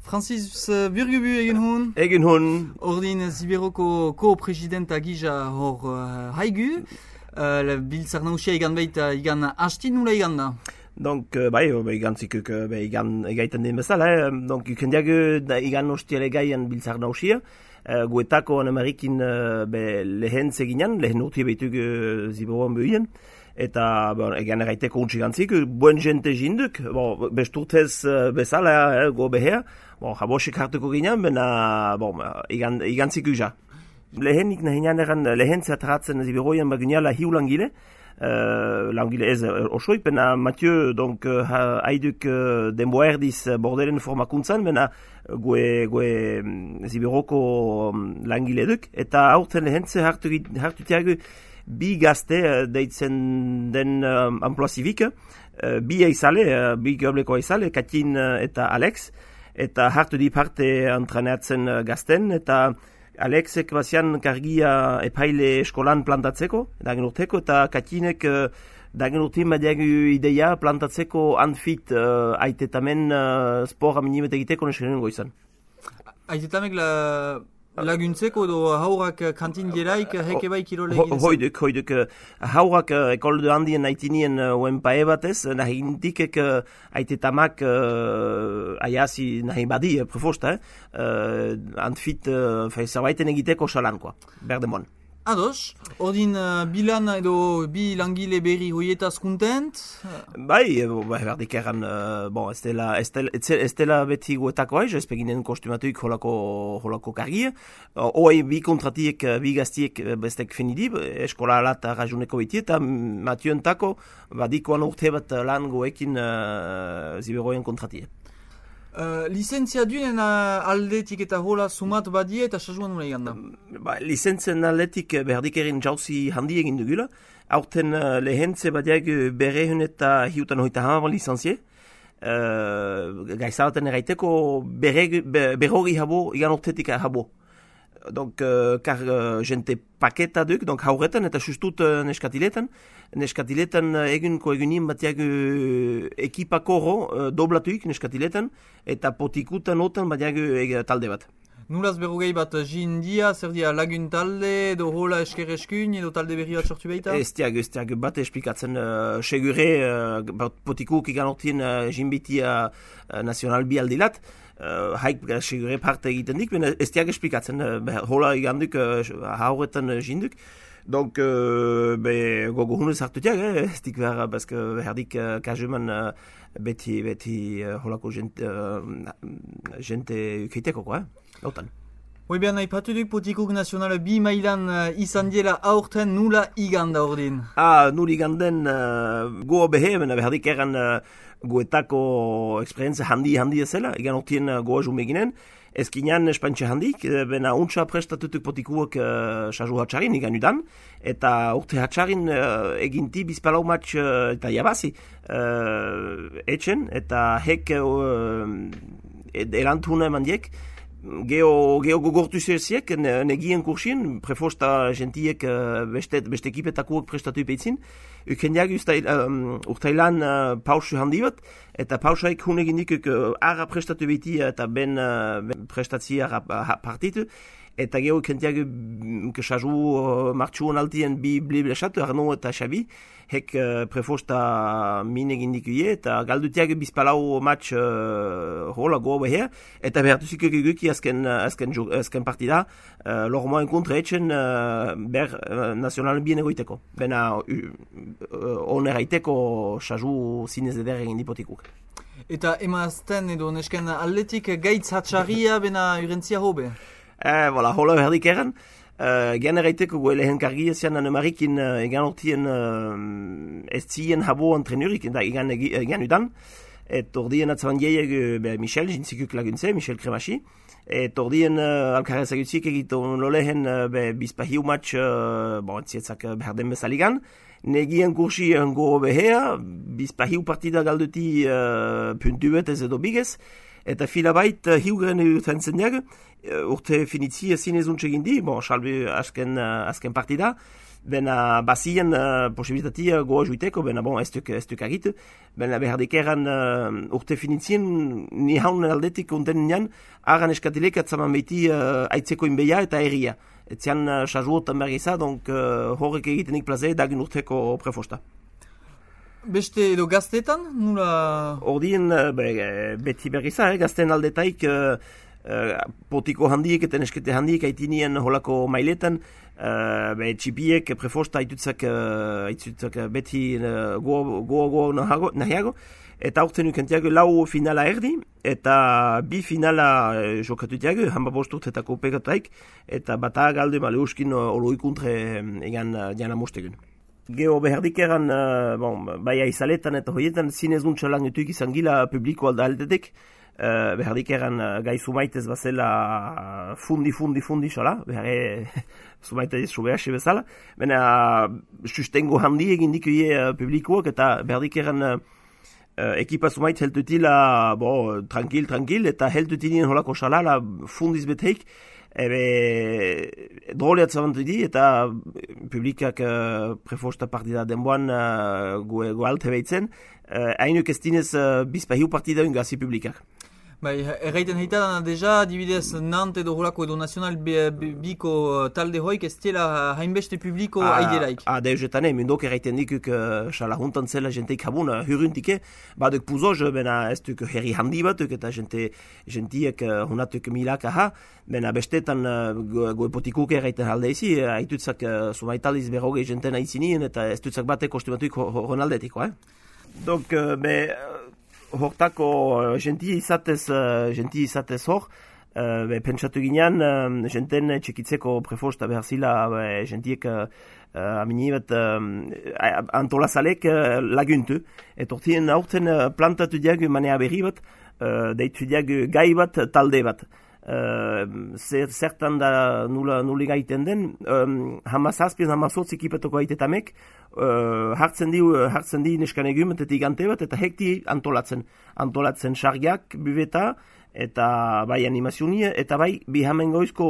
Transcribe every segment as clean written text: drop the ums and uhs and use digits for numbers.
Francis Burgubu egin hun. Egin hun. Ordin Ziberoko ko-presidenta gisa hor haigu. Biltzar nausia igan baita igan hasti nula igan da. Donc, igan zikuk igan egaiten den bezala. Donc, ikendiago igan hostiele gaian biltzar nausia. Guetako Amerikin lehen zeginan, lehen urti behituk Ziberoan behien. Eta egan erraiteko untxigantzik, buen jente jinduk, besturtez bezala go behea, jabosik hartuko ginen, bena igantzik uja. Lehenik nahinean eran lehen zeatratzen Ziberoian baginala hiu langile ez osoik, bena Mathieu, donc haiduk denboa erdiz bordelen formakuntzan, bena gue Ziberoko langile duk, eta aurten lehen ze hartutiago bi gazte deitzen den amploa zivik, bi aizale, bi geobleko aizale, Katin eta Alex, eta hartu di parte entrenatzen gazten, eta Alexek bazian kargia epaile eskolan plantatzeko, dagen urteko, eta Katinek dagen urtin badiagu ideia plantatzeko anfit aitetamen spora minimet egiteko neskenen goizan. Aitetamek laguntzeko edo haurak kantin geraik heke bai kirole egin? Hoiduk. Haurak ekolde handien aitinien uen pae batez, nahi indikek aitetamak aiazi nahi badi prefosta, antfit zerbaiten egiteko salankoa, berdemon. Ados, ordin bilan edo bi langile berri hoietaz kontent? Berdik eran, ez dela beti guetako aiz, ez peginen kostumatuik holako kargia. Hoi bi kontratiek, bi gaztiek bestek finidib, eskola alat rajuneko beti, eta Mathieu entako badikoan urte bat lan goekin Ziberoien kontratie. Lizentzia dunen aldetik eta hola sumat badie eta sazuan nula egan da? Lizentzen aldetik berdik erin jauzi handi egin dugula. Aurten lehentze badiak berrehun eta hiutan hoita hamaban licenzie. Gaizalaten eraiteko berrogi habo, igan urtetik habo. Donc, kar jente paketa duk, donc hauretan eta sustut neskatiletan. Neskatiletan egunko egunin batiak ekipako doblatuik neskatiletan, eta potikutan otan batiak talde bat. Nulaz berrogei bat jindia, zer dia lagun talde, edo hola esker eskun, edo talde berri bat sortu behita? Ez diag bat esplikatzen segure potikuk igan ortien jinbitia nazional bi aldilat. Haik segure parte egiten dik, ez diag esplikatzen, hola iganduk hauretan jinduk. Donc, gogo hunez hartutiak, ez dik behar, bazke herdik kajuman beti holako jente ukeiteko, lautan. Hoi behar nahi patuduk potikuk nazionala bi mailan izan diela aurten nula iganda ordin? Nula iganden goa behe, behardik eran goetako eksperientzia handi ezela, igan ortien goa jumeginen, ezkinan espantxe handik, bena untsa prestatutuk potikuak sasu hatxarin igan udan, eta urte hatxarin eginti bizpalau matx eta jabazi etxen, eta hek erantuna eman diek, Geo gogortu zeziek, negien kursin, prefosta gentiek beste ekipetakuak prestatu ipeitzin. Ukendiak urtailan pausu handi bat, eta pausaik hunegin dikuk ara prestatu beiti eta ben prestatzia partitu. Eta geho ukendiak sasu martxuan altien bi blesatu, Arno eta Xabi, hek prefosta min egin dikuie, eta galdutiak bizpalau match hola goa beher, eta behartuzik eguki azken partida, lormoen kontra etxen ber nazionalen bien egoiteko. Bena oneraiteko sasu zinez eder egin dipotikuk. Eta emazten edo nesken atletik gaitz hatxarria bena urentzia hobe? Hola berdik eran. Gen eraiteko goe lehen kargia zian Marikin egan ortien ez zien habo antrenurik, egan udan. Et ordien atzaban dieg Michel, jintzikuk laguntze, Michel Kremachi. Et ordien alkarez agutzik egiton lolehen bizpahiu match, entzietzak beharden bezaligan. Negien kursi go behea, bizpahiu partida galduti puntu bet ez edo bigez. Eta filabait hiugren utentzen diag, urte finitzi ezin ezuntze gindi, salbe azken partida, bena bazien posibilitatea goa juiteko, bena bon, ez duk agitu, bena behardik eran urte finitzien, ni haun aldetik unten nian, aran eskatilek atzaman behiti aitzeko inbeia eta erria. Etzian sajuotan bergiza, donc horrek egitenik plaze dagin urteko prefosta. Beste edo gaztetan, nula? Ordien beti bergiza, gazten aldetaik potiko handiek eta neskete handiek aitinien holako mailetan, txipiek prefosta aitutzak beti goa nahiago, eta aurten ukentiago lau finala erdi, eta bi finala jokatutiago, hamba bosturtetako pegataik, eta bata galde maleuskin oloikuntre egan jana mostegun. Geo behardik eran, bai aizaletan eta hoietan, zinezuntza lan etuik izan gila publiko alda aldetek, behardik eran gai sumaitez bazela fundi xala, behar sumaitez subehasi bezala, baina sustengo handi egin dikuie publikoak eta behardik eran ekipa sumait heltutila tranquil, eta heltutilien holako xala fundiz beteik, droleat zabantu di, eta publikak prefosta partida denboan goalte behitzen, hainuk ez dinez bizpahiu partida ungazi publikak. Bai, erraiten heita deja, dibidez Nantes edo holako edo nazional biko talde hoik ez dela hainbeste publiko aidelaik. Deuzetane, mundok erraiten dikuk xala juntan zela jenteik habun hurruntike, baduk puzoz, bena ez duk herri handi batuk eta jentiek hunatuk milak aha, bena bestetan goepotikuk erraiten haldeizi, haitutzak sumaitaliz berrogei jenten aizinien eta ez dutzak batek kostumatuik honaldetiko. Donc, hortako gentia izatez hor, pentsatu ginean, jenten txekitzeko prefosta behar zila, gentiek amini bat antolazalek laguntu. Et hortien aurten plantatu diagu manea berri bat, deitu diagu gai bat, talde bat. Zertan da nuli gaiten den, hamazazpien hamazortz ekipetoko aitetamek, hartzen di neskan egumentetik ante bat, eta hekti antolatzen sargiak, buveta, eta bai animazionia, eta bai bihamengoizko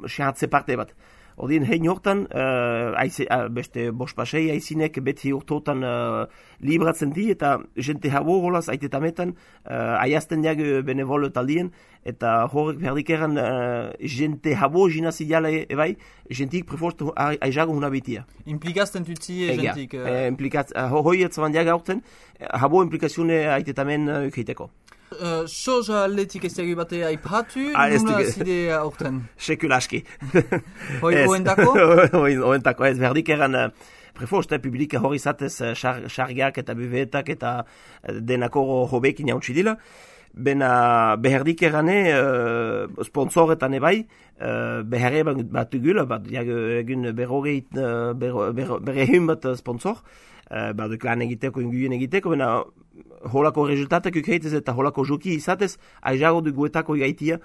sehatze parte bat. Odien hein hortan, beste bospasei aizinek beti urtotan libratzen di, eta jente habo holaz aitetametan aiazten diag benevolo taldien, eta horrek berdik eran jente habo jinazi diala ebai, jentik preforst aizago huna betia. Implikazten tutzi jentik? Hoi etzaban diag aurten, habo implikazione aitetamen ukeiteko. Soja aldetik ez dugu bate aipatu, nuna zide aurten? Sekul aski. Hoi oendako? Oendako, ez berdik eran prefosta publika hori zatez sargiak eta buvetak eta denako hobekin jauntsi dila. Bena beherdik erane sponsoretan ebai, beherre bat gula, egun berrehun bat sponsor, baduk lan egiteko, inguien egiteko, bena holako rezultatak ukeitez eta holako joki izatez, aizago du guetako gaitia,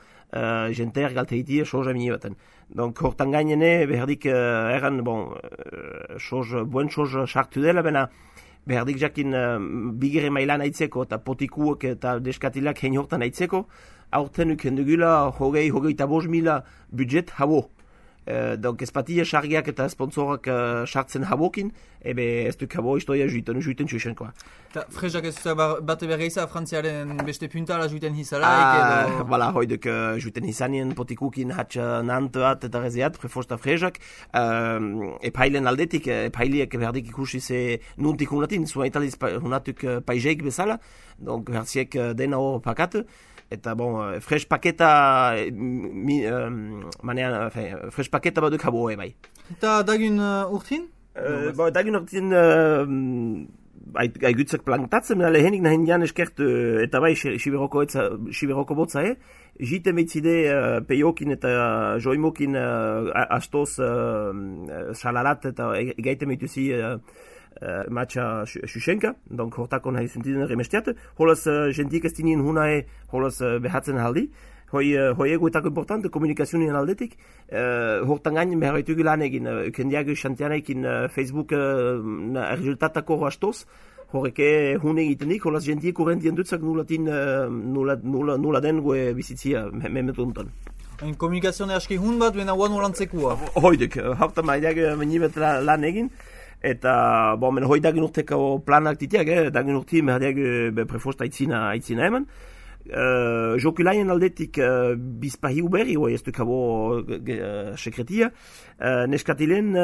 jenter galte itia, soja mini baten. Donc, hortan gainene, beherdik eran, buen soja sartu dela, bena behardik jakin bigere mailan aitzeko eta potikuak eta deskatilak hein hortan aitzeko, aurten ukendugula hogeita 5.000 budget habo. Donc ez patia sargiak eta sponsorak sartzen habokin, ez duk habo istoia juiten txusenkoa. Eta frezak ez bate berreiza frantziaren beste puntala juiten hizalaik? Bala, hoiduk juiten hizanien potikukin hatx nantoat eta reziat, prefosta frezak. Epailen aldetik, epailiek behardik ikusi ze nuntik hunatin, zua italiz hunatuk paizeik bezala, donc behartziek dena hor pakatu. Eta fresh paketa fresh paketa baduk habo bai. Eta dagun urtin? Dagun urtin aigutzak plantatzen, lehenik nahin jan eskert eta bai Siberoko botza jite meitzide peiokin eta joimokin astoz salalat eta gaite meituzi matxa Xuxenka, donc hortako nahi zentiden remestiat, holaz jentik ez dinien hunae, holaz behatzen haldi, hoi egoetako importante, komunikazionien aldetik, hortan gain beharretu lan egin, kendiago xantianekin Facebook resultatako astoz, horreke hune egitenik, holaz jentik urrentien dutzak nula den goe bizitzia memetu untan. Ein komunikazioa aski hun bat, bena guan olantzekua. Hoidek, haukta maideak menibet lan egin, eta hoidak urteko planak ditiak, dagin urti merdeak prefosta aitzina eman. Jokulaien aldetik bizpahiu berri, ez dukabo sekretia, neskatilen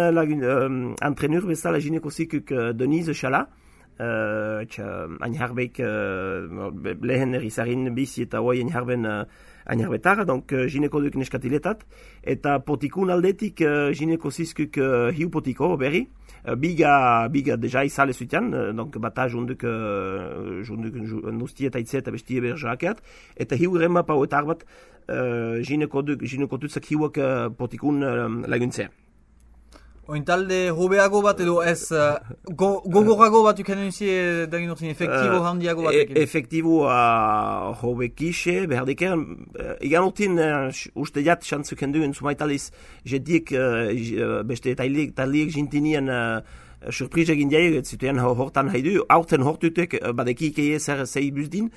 antrenur bezala gineko zikuk Denise Chala, Ainharbeik lehen erizarin bizi eta hoi Ainharbetar, donc gineko duk neskatiletat, eta potikun aldetik gineko zizkuk hiu potiko berri, biga deja izale zutean, donc bata junduk nustie eta itze eta bestie berjakeat, eta hiu remma pauetar bat gineko tutzak hiuak potikun laguntzea. Oin talde hobeago bat edo ez gogorago bat ukanen uzie dagin urtin, efektibo handiago batekin? Efektibo hobekixe, behardike, igan urtin uste jat xantzuk henduen sumaitaliz jediek beste taliek jintinien surpriz egin diaik, zituen hortan haidu, aurten hortutek badekik zer zei buzdin,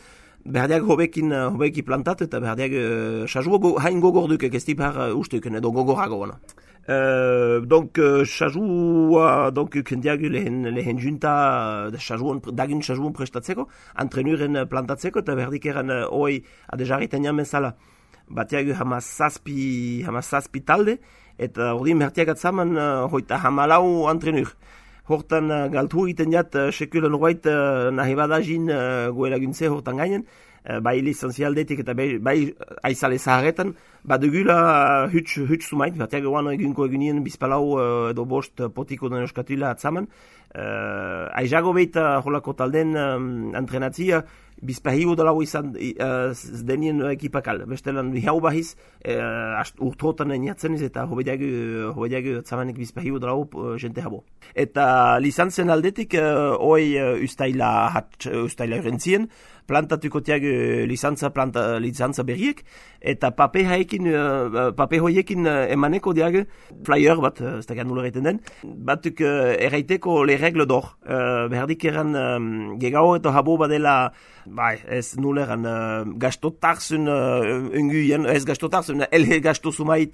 berdiak hobeki plantat eta berdiak xajuo hain gogorduk ekestipar ustuken edo gogorago gana. Donc chajua donc kendiagu lehen junta dagin chajuon prestatzeko entrenuren plantatzeko eta berdikeran oi adejariten jamezala batiagu hamazazpi talde eta ordin bertiak atzaman hoita hamalau entrenur hortan galtu egiten jat sekulen roit nahi badajin goelaguntze hortan gainen bai lizenzialdetik eta bai aizale zaharretan, badugula huts sumait, batiak eguan egunko egunien bizpalau edo bost potiko den euskatila atzaman. Aizago behita holako talden entrenatzia, bizpahiu dolau izan denien ekipakal. Bestelan hau bahiz, urtrotan eniatzen ez eta hobediago atzamanek bizpahiu dolau jente habo. Eta lizentzen aldetik, hoi ustaila urentzien, plantatuko tiag lizantza berriek, eta pape hoiekin emaneko diag flyer bat, ez da gandulo egiten den, batuk erraiteko le regle d'or, behardik eran gegao eta habo badela, ez nuleran gastotarzun unguien, ez gastotarzun, elhe gasto sumait,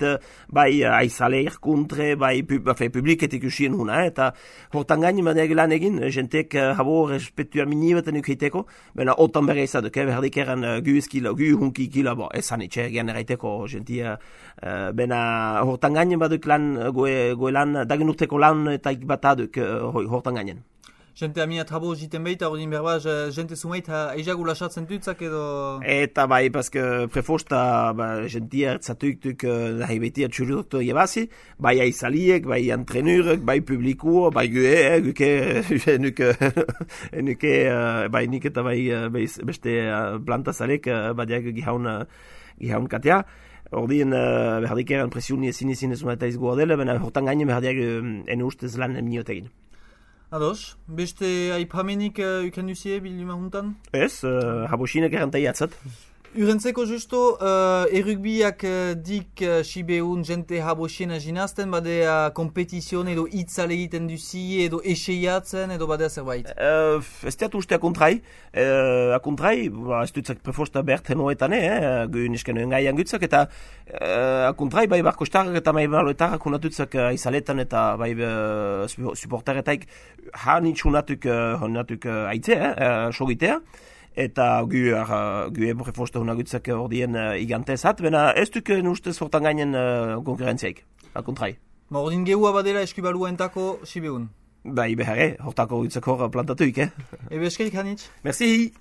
aizale irkuntre, publiketik usien huna, eta hortan gaini madeag lan egin, jentek habo respetua minibeten ukiteko, bena otan berra izaduk, behardik eran gu hunki kila, esan itxe, gian erraiteko jentia, bena hortan gaini baduk lan, goe lan, dagin urteko lan eta ikbataduk hortan gainen. Jente aminat habo jiten behita, ordin berba, jente sumait eizagu lasatzen dutzak edo... Eta paske prefosta jentia ertzatuik nahi betia txurudokto jebazi, bai aizaliek, bai entrenurek, bai publikuo, bai bai nik eta bai beste plantazalek, badiak gihaun katea. Ordin berdik eran presiuni ezin ezumata izgoa dela, bena hortan gainen berdiak ene ustez lan miniotegin. Ados, beste aipamenik ukan duzie bilduma juntan? Ez, habosinek erantai atzat. Urentzeko justo, errugbiak dik sibeun jente habosien aginazten, badea kompetizion edo itzale egiten duzi edo eseiatzen edo badea zerbait? Ez teatu uste akontrai, ez dutzak prefosta bert henoetan, gu nisken engaian gutzak, eta akontrai bai barko starrak eta bai baloetarrak unatutzak izaletan eta bai supportaretaik hanitsunatuk aitze, sogitea. Eta gu prefosta hunagutzak ordien igantezat, bena ez duk ustez hortan gainen konkurrentziaik, akontrai. Ordin gehua badela eskubalua entako sibeun? Bai, behare, hortako gutzak hor plantatuik, Ebe eskerik hanitz? Merci!